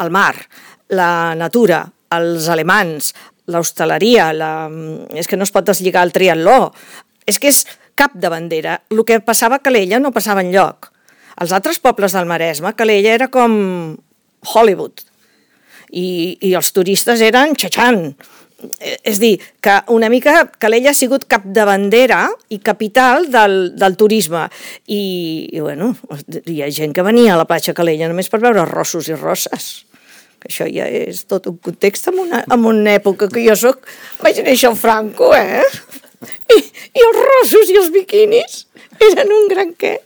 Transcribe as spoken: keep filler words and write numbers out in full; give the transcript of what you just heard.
el mar, la natura, els alemans, l'hostaleria, la... és que no es pot deslligar el triatló, és que és cap de bandera. El que passava a Calella no passava enlloc. Als altres pobles del Maresme, Calella era com Hollywood, i, i els turistes eren xatxant. És dir, que una mica Calella ha sigut capdavantera i capital del, del turisme. I, i, bueno, hi ha gent que venia a la platja Calella només per veure rossos i rosses. Que això ja és tot un context en una, en una època que jo soc... Vaig néixer al Franco, eh? I, i els rossos i els biquinis eren un gran què.